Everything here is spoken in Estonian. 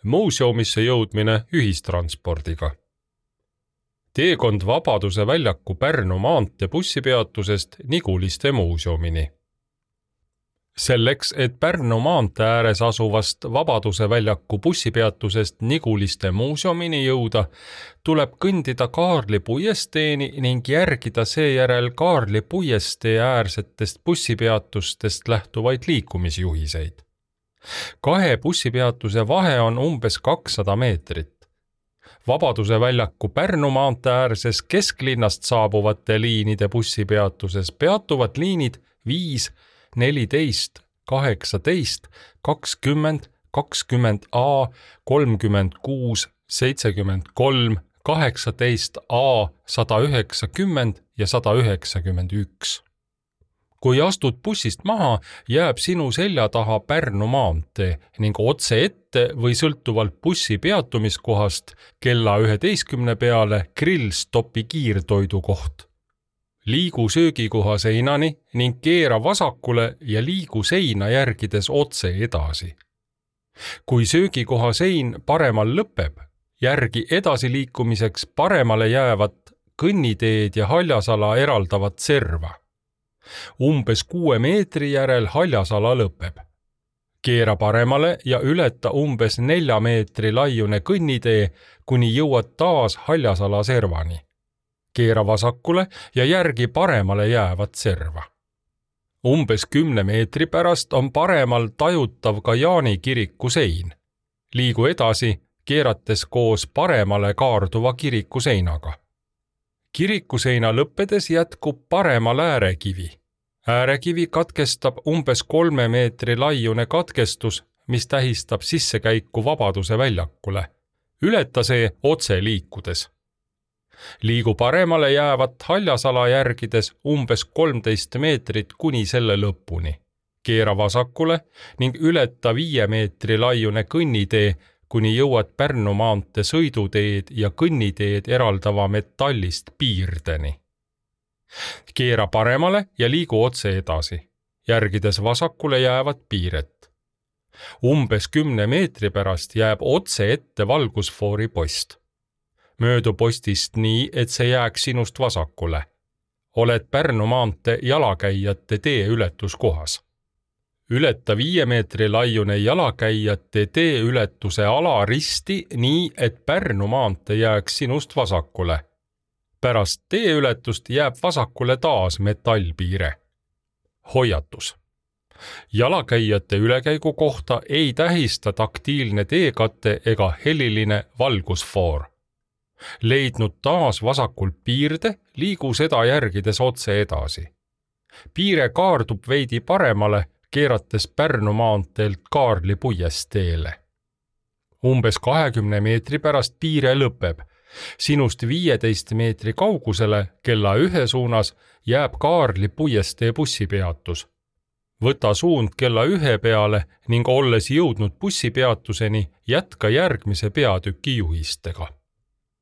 Muuseumisse jõudmine ühistranspordiga. Teekond Vabaduse väljaku Pärnu maantee bussipeatusest Niguliste muuseumini. Selleks, et Pärnu maantee ääres asuvast Vabaduse väljaku bussipeatusest Niguliste muuseumini jõuda, tuleb kõndida Kaarli puiesteeni ning järgida seejärel Kaarli puiestee äärsetest bussipeatustest lähtuvaid liikumisjuhiseid. 2 bussipeatuse vahe on umbes 200 meetrit. Vabaduse väljaku Pärnu maantee äärses kesklinnast saabuvate liinide bussipeatuses peatuvad liinid 5, 14, 18, 20, 20A, 36, 73, 18A, 190 ja 191. Kui astud bussist maha, jääb sinu selja taha Pärnu maantee ning otse ette või sõltuvalt bussi peatumiskohast kella 11 peale Grillstopi kiirtoidukoht. Liigu söögikoha seinani ning keera vasakule ja liigu seina järgides otse edasi. Kui söögikoha sein paremal lõpeb, järgi edasiliikumiseks paremale jäävat kõnniteed ja haljasala eraldavat serva. Umbes 6 meetri järel haljasala lõpeb. Keera paremale ja ületa umbes 4 meetri laiune kõnnitee, kuni jõuad taas haljasala servani. Keera vasakule ja järgi paremale jäävat serva. Umbes 10 meetri pärast on paremal tajutav ka Jaani kiriku sein. Liigu edasi, keerates koos paremale kaarduva kiriku seinaga. Kirikuseina lõppedes jätkub paremal äärekivi. Äärekivi katkestab umbes 3 meetri laiune katkestus, mis tähistab sissekäiku Vabaduse väljakule. Ületa see otse liikudes. Liigu paremale jäävat haljasala järgides umbes 13 meetrit kuni selle lõpuni. Keera vasakule ning ületa 5 meetri laiune kõnnitee, kuni jõuad Pärnu maantee sõiduteed ja kõnniteed eraldava metallist piirdeni. Keera paremale ja liigu otse edasi, järgides vasakule jäävat piiret. Umbes 10 meetri pärast jääb otse ette valgusfoori post. Möödu postist nii, et see jääks sinust vasakule. Oled Pärnu maantee jalakäijate tee ületuskohas. Ületa 5 meetri laiune jalakäijate tee ületuse alaristi nii, et Pärnu maantee jääks sinust vasakule. Pärast tee ületust jääb vasakule taas metallpiire. Hoiatus. Jalakäijate ülekäigu kohta ei tähista taktiilne teekate ega heliline valgusfoor. Leidnud taas vasakult piirde, liigu seda järgides otse edasi. Piire kaardub veidi paremale, keerates Pärnu maanteelt Kaarli puiesteele. Umbes 20 meetri pärast piire lõpeb. Sinust 15 meetri kaugusele kella 1 suunas jääb Kaarli puiestee bussipeatus. Võta suund kella 1 peale ning olles jõudnud bussipeatuseni, jätka järgmise peatüki juhistega.